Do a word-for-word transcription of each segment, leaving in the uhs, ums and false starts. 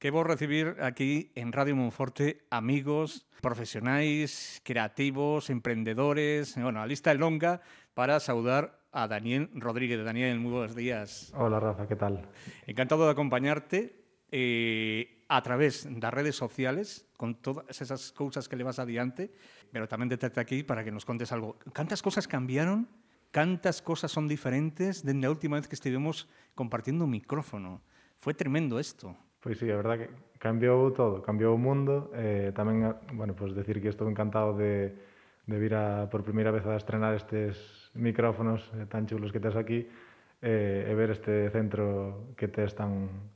Que vou recibir aquí en Radio Monforte amigos, profesionais, creativos, emprendedores. Bueno, a lista é longa para saudar a Daniel Rodríguez. Daniel, moi bons días. Hola Rafa, ¿qué tal? Encantado de acompañarte eh, a través das redes sociales con todas esas cousas que levas adiante, pero tamén de terte aquí para que nos contes algo. Cantas cosas cambiaron? Cantas cosas son diferentes dende a última vez que estivemos compartindo un micrófono? Foi tremendo isto. Pois sí, a verdad que cambiou todo, cambiou o mundo. Eh, tamén, bueno, pues decir que estou encantado de, de vir a, por primeira vez a estrenar estes micrófonos eh, tan chulos que tes aquí eh, e ver este centro que tes tan,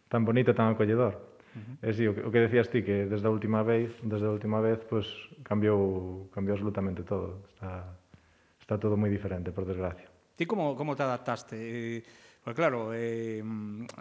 tan bonito, tan acolledor. Uh-huh. E sí, o que, o que decías ti, que desde a última vez, desde a última vez, pues cambiou, cambiou absolutamente todo. Está, está todo moi diferente, por desgracia. Ti como, como te adaptaste? Eh, Porque claro, eh,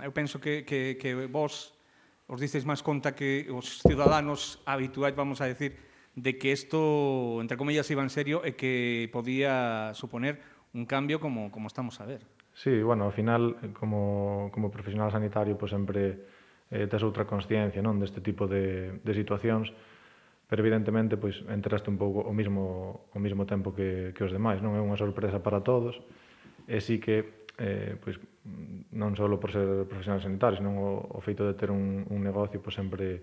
eu penso que, que, que vos os disteis máis conta que os ciudadanos habituais, vamos a decir, de que isto, entre comillas, iba en serio e que podía suponer un cambio como, como estamos a ver. Sí, bueno, ao final, como, como profesional sanitario, pues sempre eh, tes outra consciencia, non, deste tipo de, de situacións, pero evidentemente, pois, enteraste un pouco o mismo, o mismo tempo que, que os demais, non é unha sorpresa para todos, e sí que eh, pois, non só por ser profesional sanitario, senón o, o feito de ter un, un negocio, pois sempre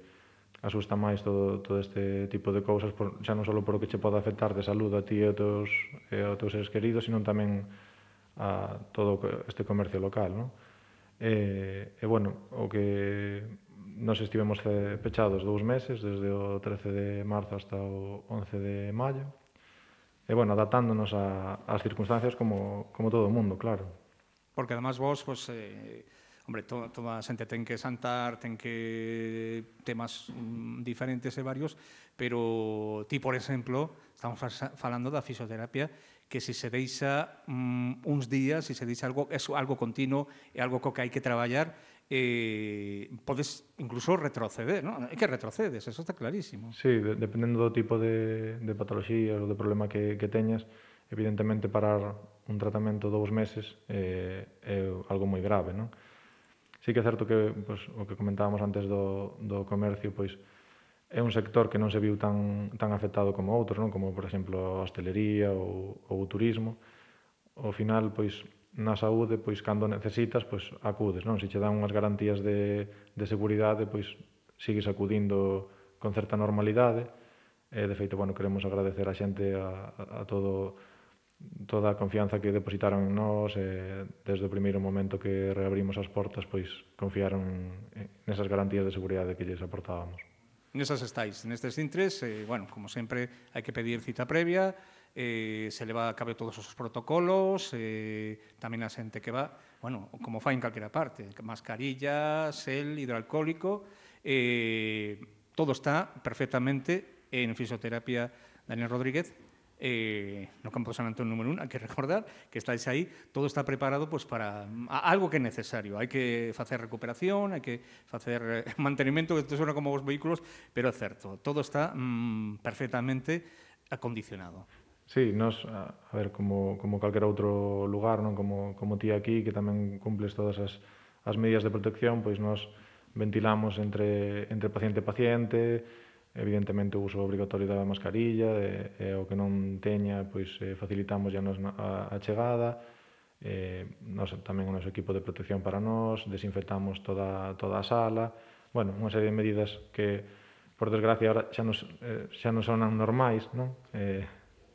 asusta máis todo, todo este tipo de cousas, por, xa non só por o que che pode afectar de salud a ti e aos teus, e aos teus seres queridos, senón tamén a todo este comercio local, non? E, e bueno, o que nos estivemos pechados dous meses, desde o trece de marzo hasta o once de maio, e bueno, adaptándonos a, ás circunstancias como, como todo o mundo, claro. Porque además vos, pues, eh, hombre, to, toda a xente ten que santar, ten que temas mm, diferentes e varios, pero ti, por exemplo, estamos falando da fisioterapia, que se se deixa mm, uns días, se se deixa algo, é algo continuo, é algo co que hai que traballar, eh, podes incluso retroceder, non? É que retrocedes, eso está clarísimo. Sí, de, dependendo do tipo de, de patología ou de problema que, que teñas, evidentemente parar un tratamento dous meses eh, é algo moi grave, non? Sí que é certo que, pois, o que comentábamos antes do, do comercio, pois, é un sector que non se viu tan, tan afectado como outros, non? Como, por exemplo, a hostelería ou, ou o turismo. Ao final, pois, na saúde, pois, cando necesitas, pois, acudes, non? Se che dan unhas garantías de, de seguridade, pois, sigues acudindo con certa normalidade. E, de feito, bueno, queremos agradecer a xente a, a, a todo toda a confianza que depositaron en nós, e desde o primeiro momento que reabrimos as portas, pois confiaron nesas garantías de seguridade que lles aportábamos. Nesas estáis, nestes intres, eh, bueno, como sempre, hai que pedir cita previa, eh, se leva a cabo todos os protocolos, eh, tamén a xente que va, bueno, como fai en calquera parte, mascarilla, sel, hidroalcohólico, eh, todo está perfectamente en fisioterapia Daniel Rodríguez, eh, no campo de San Antón número un, hai que recordar que estáis aí, todo está preparado pues, para a, algo que é necesario, hai que facer recuperación, hai que facer eh, mantenimento, que isto suena como os vehículos, pero é certo, todo está mm, perfectamente acondicionado. Sí, nos, a, a ver, como, como calquer outro lugar, non como, como ti aquí, que tamén cumples todas as, as medidas de protección, pois nos ventilamos entre, entre paciente e paciente, evidentemente o uso obrigatorio da mascarilla, e, e o que non teña, pois eh, facilitamos ya nos a, a chegada, eh, nos, tamén o noso equipo de protección para nós, desinfectamos toda, toda a sala, bueno, unha serie de medidas que, por desgracia, ahora xa nos, eh, xa nos sonan normais, non? Eh,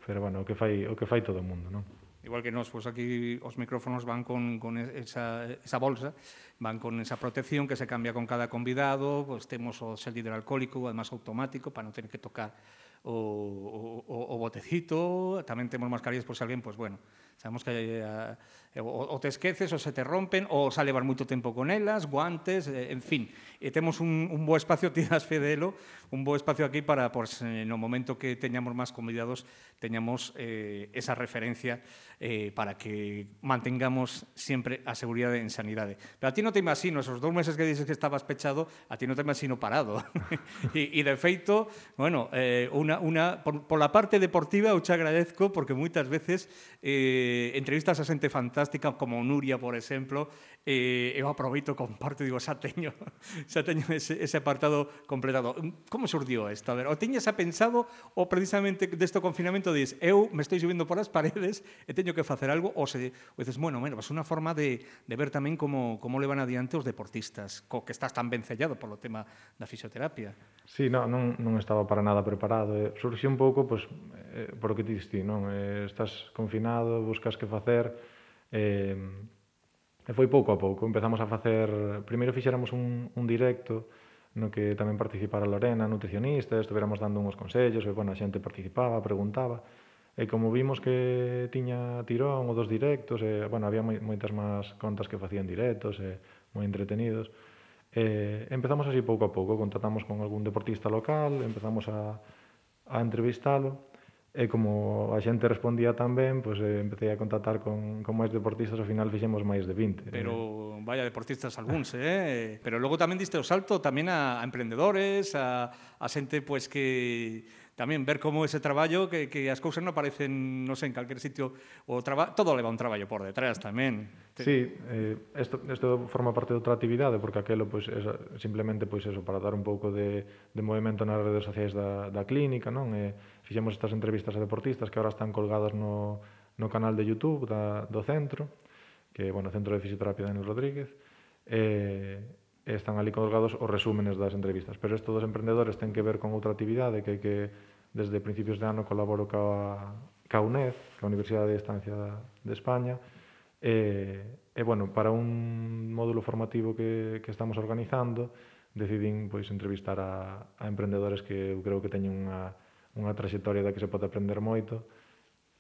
pero, bueno, o que fai, o que fai todo o mundo, non? Igual que nós, pois aquí os micrófonos van con, con esa, esa bolsa, van con esa protección que se cambia con cada convidado, pois temos o gel hidroalcohólico, además automático, para non ter que tocar o, o, o botecito, tamén temos mascarillas por se alguén, pois bueno, sabemos que a, o, o te esqueces, ou se te rompen, ou xa levar moito tempo con elas, guantes, eh, en fin, e temos un, un bo espacio, tiras fedelo, un bo espacio aquí para, pois, no momento que teñamos máis convidados, teñamos eh, esa referencia eh, para que mantengamos sempre a seguridade en sanidade. Pero a ti non te imagino, esos dous meses que dices que estabas pechado, a ti non te imagino parado. e, e de feito, bueno, eh, unha, unha, por, por la parte deportiva eu te agradezco porque moitas veces eh, entrevistas a xente fantástica como Nuria, por exemplo, e eu aproveito, comparto, digo, xa teño, xa teño ese, ese apartado completado. Como surdiu isto? A ver, o tiñas a pensado ou precisamente deste confinamento dis, eu me estou subindo por as paredes e teño que facer algo, ou se ou dices, bueno, bueno, é unha forma de, de ver tamén como, como levan adiante os deportistas, co que estás tan vencellado polo tema da fisioterapia. Sí, non, non, non estaba para nada preparado. Eh, surxiu un pouco, pois, eh, por o que ti diste, non? Eh, estás confinado, buscas que facer, eh, e foi pouco a pouco. Empezamos a facer... Primeiro fixéramos un, un directo no que tamén participara Lorena, nutricionista, estuveramos dando uns consellos, e, bueno, a xente participaba, preguntaba, e como vimos que tiña tirón o dos directos, e, bueno, había moi, moitas máis contas que facían directos, e moi entretenidos, e empezamos así pouco a pouco, contactamos con algún deportista local, empezamos a, a entrevistalo, e como a xente respondía tan ben, pois eh, empecé a contactar con, con máis deportistas, ao final fixemos máis de vinte. Pero vaya deportistas algúns, eh? Pero logo tamén diste o salto tamén a, a emprendedores, a, a xente pues, que tamén ver como ese traballo, que, que as cousas non aparecen, non sei, en calquer sitio, o traba, todo leva un traballo por detrás tamén. Sí, eh, esto, esto forma parte de outra actividade, porque aquelo pois, é simplemente pois, eso, para dar un pouco de, de movimento nas redes sociais da, da clínica, non? E fixemos estas entrevistas a deportistas que agora están colgadas no, no canal de YouTube da, do centro, que é, bueno, Centro de Fisioterapia Daniel Rodríguez, e, e están ali colgados os resúmenes das entrevistas. Pero isto dos emprendedores ten que ver con outra actividade que, que desde principios de ano colaboro ca, ca U N E D, ca Universidade de Estancia de España, e, e bueno, para un módulo formativo que, que estamos organizando, decidín pois, entrevistar a, a emprendedores que eu creo que teñen unha, unha trayectoria da que se pode aprender moito,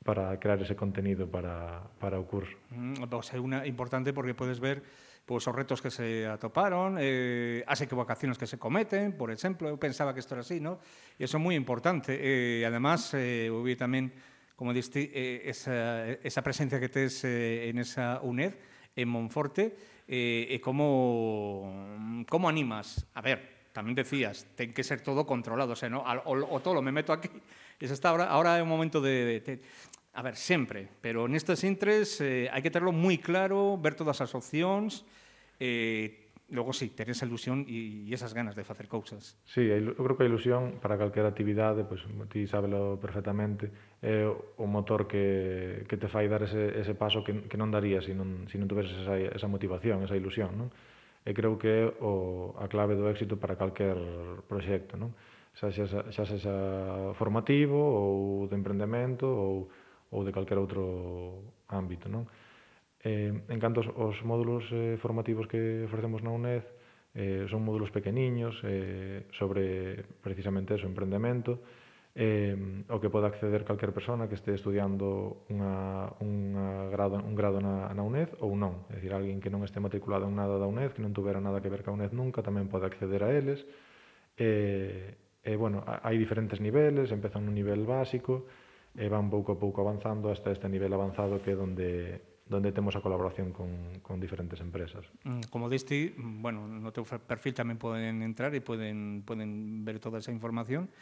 para crear ese contenido para, para o curso. Mm, pues é unha importante porque podes ver pues, os retos que se atoparon, eh, as equivocacións que se cometen, por exemplo, eu pensaba que isto era así, ¿no? E iso é moi importante. E, además, eh, eu vi tamén, como diste, eh, esa, esa presencia que tes eh, en esa U N E D, en Monforte, eh, e como, como animas. A ver, tamén decías, ten que ser todo controlado, o sea, ¿no? o, o todo me meto aquí, e xa está, ahora, ahora é un momento de... de, de a ver, sempre, pero nestes intres eh, hai que terlo moi claro, ver todas as opcións, eh, logo sí, ter esa ilusión e, e esas ganas de facer cousas. Sí, eu creo que a ilusión para calquera actividade, pois, ti sábelo perfectamente, é o motor que, que te fai dar ese, ese paso que, que non daría se non, se non tuveses esa, esa motivación, esa ilusión, non? E creo que é o, a clave do éxito para calquer proxecto, non? Xa xa, xa xa formativo ou de emprendemento ou ou de calquer outro ámbito, non? Eh, en canto aos, aos módulos eh, formativos que ofrecemos na U N E D, eh, son módulos pequeniños eh, sobre precisamente eso, emprendemento, eh, o que pode acceder calquer persona que este estudiando unha, unha grado, un grado na, na U N E D ou non. É dicir, alguén que non este matriculado en nada da U N E D, que non tuvera nada que ver ca U N E D nunca, tamén pode acceder a eles. E, e bueno, hai diferentes niveles, empezan nun nivel básico, e van pouco a pouco avanzando hasta este nivel avanzado que é donde, donde temos a colaboración con, con diferentes empresas. Como diste, bueno, no teu perfil tamén poden entrar e poden, poden ver toda esa información.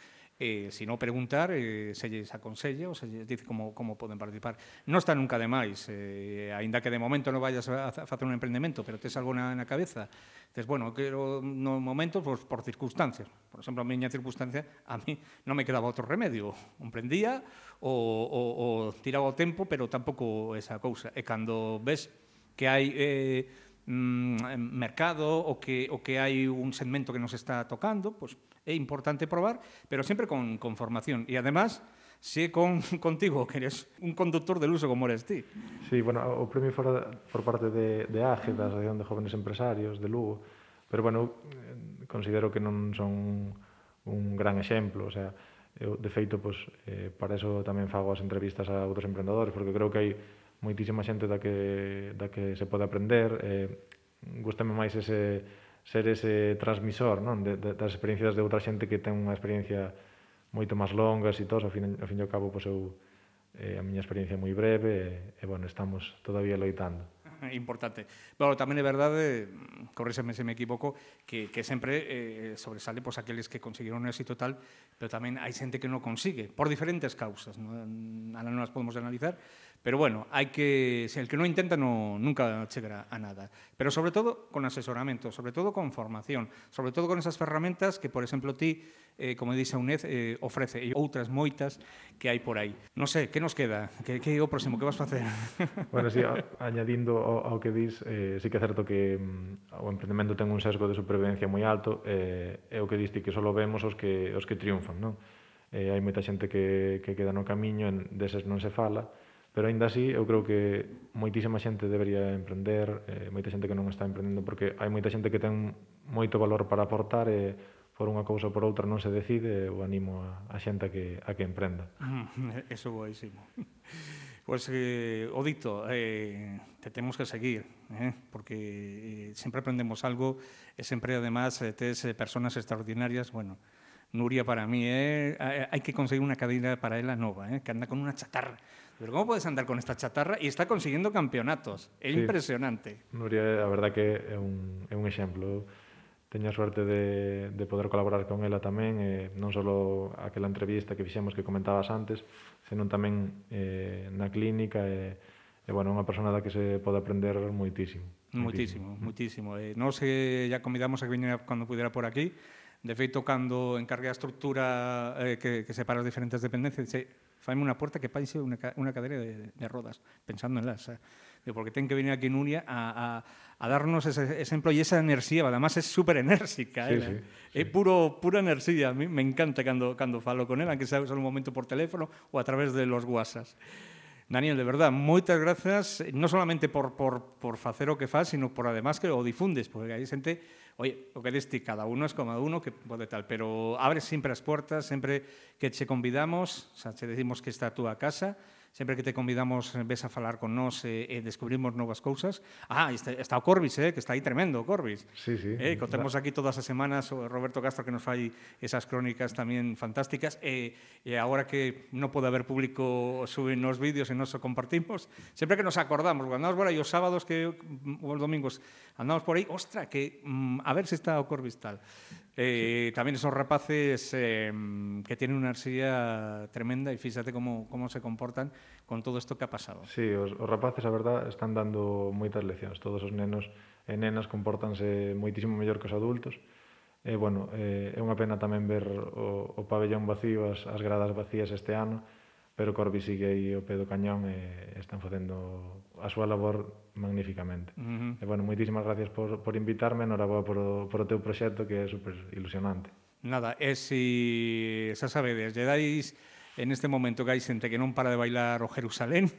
Eh, se non preguntar, eh, se lles aconsella ou se lles dice como, como poden participar. Non está nunca de máis, eh, aínda que de momento non vayas a, a facer un emprendemento, pero tes algo na, na cabeza, dices, bueno, quero no momento pues, por circunstancias. Por exemplo, a miña circunstancia, a mí non me quedaba outro remedio. Emprendía ou, ou, ou tiraba o tempo, pero tampouco esa cousa. E cando ves que hai... Eh, mercado o que, o que hai un segmento que nos está tocando, pues é importante probar, pero sempre con, con formación. E, además, se con, contigo, que eres un conductor del uso como eres ti. Sí, bueno, o premio fora por parte de, de A G E, da Asociación de Jóvenes Empresarios de Lugo, pero, bueno, considero que non son un gran exemplo, o sea, eu, de feito, pues, eh, para eso tamén fago as entrevistas a outros emprendedores, porque creo que hai moitísima xente da que, da que se pode aprender. Eh, gústame máis ese, ser ese transmisor, non? De, de, das experiencias de outra xente que ten unha experiencia moito máis longas e todo, ao fin, ao fin e ao cabo, pois eu, eh, a miña experiencia é moi breve e, e bueno, estamos todavía loitando. Importante. Bueno, tamén é verdade, corréxeme se me equivoco, que, que sempre eh, sobresale pues, aqueles que conseguiron un éxito tal, pero tamén hai xente que non consigue, por diferentes causas, non, non as podemos analizar, Pero bueno, hai que, se el que non intenta no, nunca chegará a nada. Pero sobre todo con asesoramento, sobre todo con formación, sobre todo con esas ferramentas que, por exemplo, ti, eh, como dice a UNED, eh, ofrece, e outras moitas que hai por aí. Non sei, que nos queda? Que, que é o próximo? Que vas facer? Bueno, sí, a, añadindo ao, ao que dis, eh, sí que é certo que mm, o emprendemento ten un sesgo de supervivencia moi alto, eh, é o que diste que só vemos os que, os que triunfan, non? Eh, hai moita xente que, que queda no camiño, en, deses non se fala, pero aínda así eu creo que moitísima xente debería emprender, eh, moita xente que non está emprendendo, porque hai moita xente que ten moito valor para aportar e por unha cousa ou por outra non se decide, eu animo a, a xente a que, a que emprenda. Mm, eso boísimo. Pois, pues, eh, o dito, eh, te temos que seguir, eh, porque eh, sempre aprendemos algo e sempre, además, eh, tes eh, personas extraordinarias, bueno, Nuria para mí, eh, hai que conseguir unha cadeira para ela nova, eh, que anda con unha chatarra. Pero como podes andar con esta chatarra e está consiguiendo campeonatos? É sí. Impresionante. Nuria, a verdad que é un, é un exemplo. Teño a suerte de, de poder colaborar con ela tamén, eh, non só aquela entrevista que fixemos que comentabas antes, senón tamén eh, na clínica, e, e bueno, unha persona da que se pode aprender moitísimo. Moitísimo, moitísimo. Eh, nos eh, ya convidamos a que viñera cando pudera por aquí. De feito, cando encarguei a estructura eh, que, que separa as diferentes dependencias, dice, faime unha porta que paise unha, unha cadeira de, de rodas, pensando en las. Eh. Porque ten que venir aquí Nuria a, a, a darnos ese exemplo e esa enerxía, además é super enérxica. Sí, eh. sí, é sí. puro, pura enerxía. A mí me encanta cando, cando falo con ela, aunque sea só un momento por teléfono ou a través de los WhatsApp. Daniel, de verdad, moitas grazas, non solamente por, por, por facer o que faz, sino por además que o difundes, porque hai xente, oye, o que deste, cada uno es como uno que pode tal, pero abres sempre as portas, sempre que che convidamos, o sea, che decimos que está a túa casa, sempre que te convidamos ves a falar con nós e, e descubrimos novas cousas. Ah, está, está o Corbis, eh, que está aí tremendo o Corbis. Sí, sí. Eh, contemos aquí todas as semanas o Roberto Castro que nos fai esas crónicas tamén fantásticas e, e agora que non pode haber público suben nos vídeos e nos o compartimos, sempre que nos acordamos, cando andamos por aí os sábados que, ou os domingos andamos por aí, ostra, que mm, a ver se está o Corbis tal. Eh, sí. Tamén esos rapaces eh, que tienen unha enerxía tremenda e fíxate como, como se comportan con todo isto que ha pasado. Sí, os, os rapaces, a verdad, están dando moitas leccións. Todos os nenos e nenas compórtanse moitísimo mellor que os adultos. E, bueno, eh, é unha pena tamén ver o, o pabellón vacío, as, as gradas vacías este ano, pero Corbi sigue aí ao pé do cañón e están facendo a súa labor magníficamente. Uh -huh. E, bueno, moitísimas gracias por, por invitarme, enhoraboa por o, por o teu proxecto, que é super ilusionante. Nada, e si xa sabedes, lle dais en este momento que hai xente que non para de bailar o Jerusalén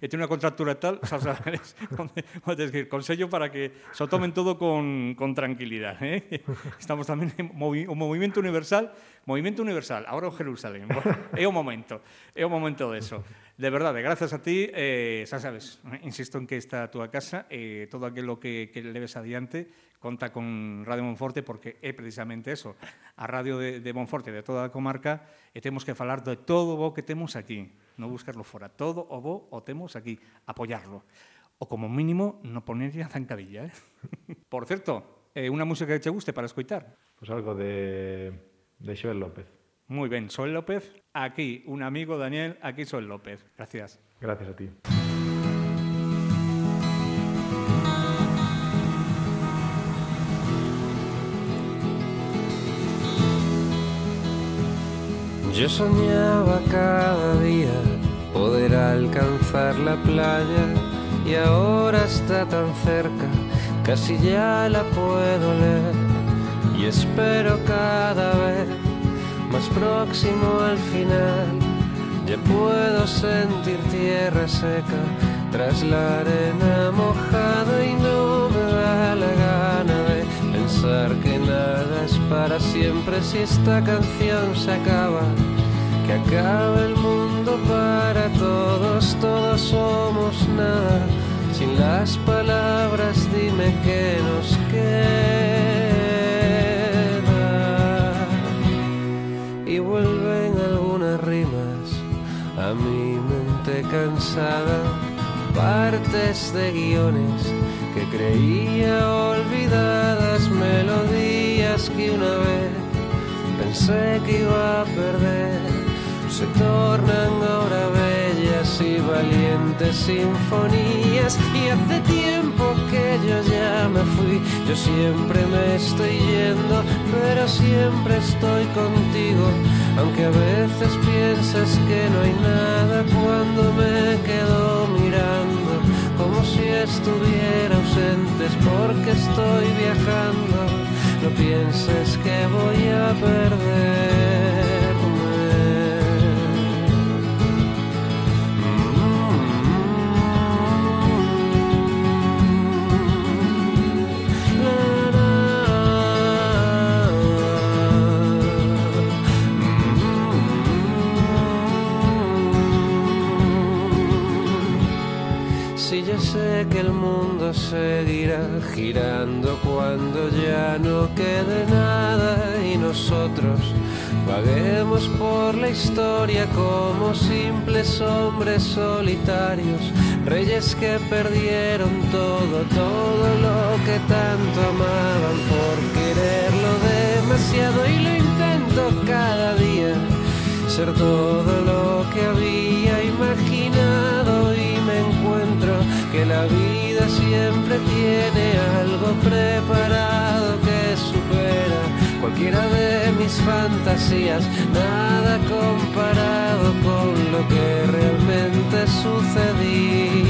e ten unha contractura tal, xa sabes, onde, onde decir, consello para que se tomen todo con, con tranquilidade. Eh? Estamos tamén en movi o movimento universal, movimento universal, ahora o Jerusalén. Bueno, é o momento, é o momento de eso. De verdade, gracias a ti, eh, xa sabes, insisto en que está a túa casa, e eh, todo aquilo que, que leves adiante, conta con Radio Monforte, porque é precisamente eso, a radio de, de Monforte, de toda a comarca, e temos que falar de todo o que temos aquí, non buscarlo fora, todo o bo o temos aquí, apoiarlo, ou como mínimo non ponerlle a zancadilla. Eh? Por certo, eh, unha música que te guste para escoitar? Pois pues algo de, de Xoel López. Moi ben, Xoel López, aquí, un amigo, Daniel, aquí Xoel López. Gracias. Gracias a ti. Yo soñaba cada día poder alcanzar la playa y ahora está tan cerca, casi ya la puedo leer y espero cada vez más próximo al final. Ya puedo sentir tierra seca tras la arena mojada y no me da la gana de pensar que nada es para siempre. Si esta canción se acaba, que acabe el mundo para todos, todos somos nada. Sin las palabras dime qué nos queda. Y vuelven algunas rimas a mi mente cansada, partes de guiones que creía olvidadas, melodías que una vez pensé que iba a perder, se tornan ahora bellas y valientes sinfonías. Y hace tiempo que yo ya me fui, yo siempre me estoy yendo, pero siempre estoy contigo. Aunque a veces pienses que no hay nada cuando me quedo mirando, como si estuviera ausente, es porque estoy viajando. No pienses que voy a perderme. Si yo sé que el mundo seguirá girando cuando ya no quede nada y nosotros vaguemos por la historia como simples hombres solitarios, reyes que perdieron todo, todo lo que tanto amaban por quererlo demasiado. Y lo intento cada día, ser todo lo que había imaginado, y me encuentro que la vida siempre tiene algo preparado que supera cualquiera de mis fantasías, nada comparado con lo que realmente sucedía.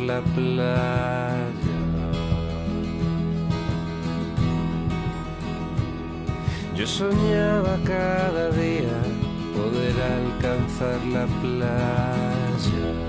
La playa. Yo soñaba cada día poder alcanzar la playa.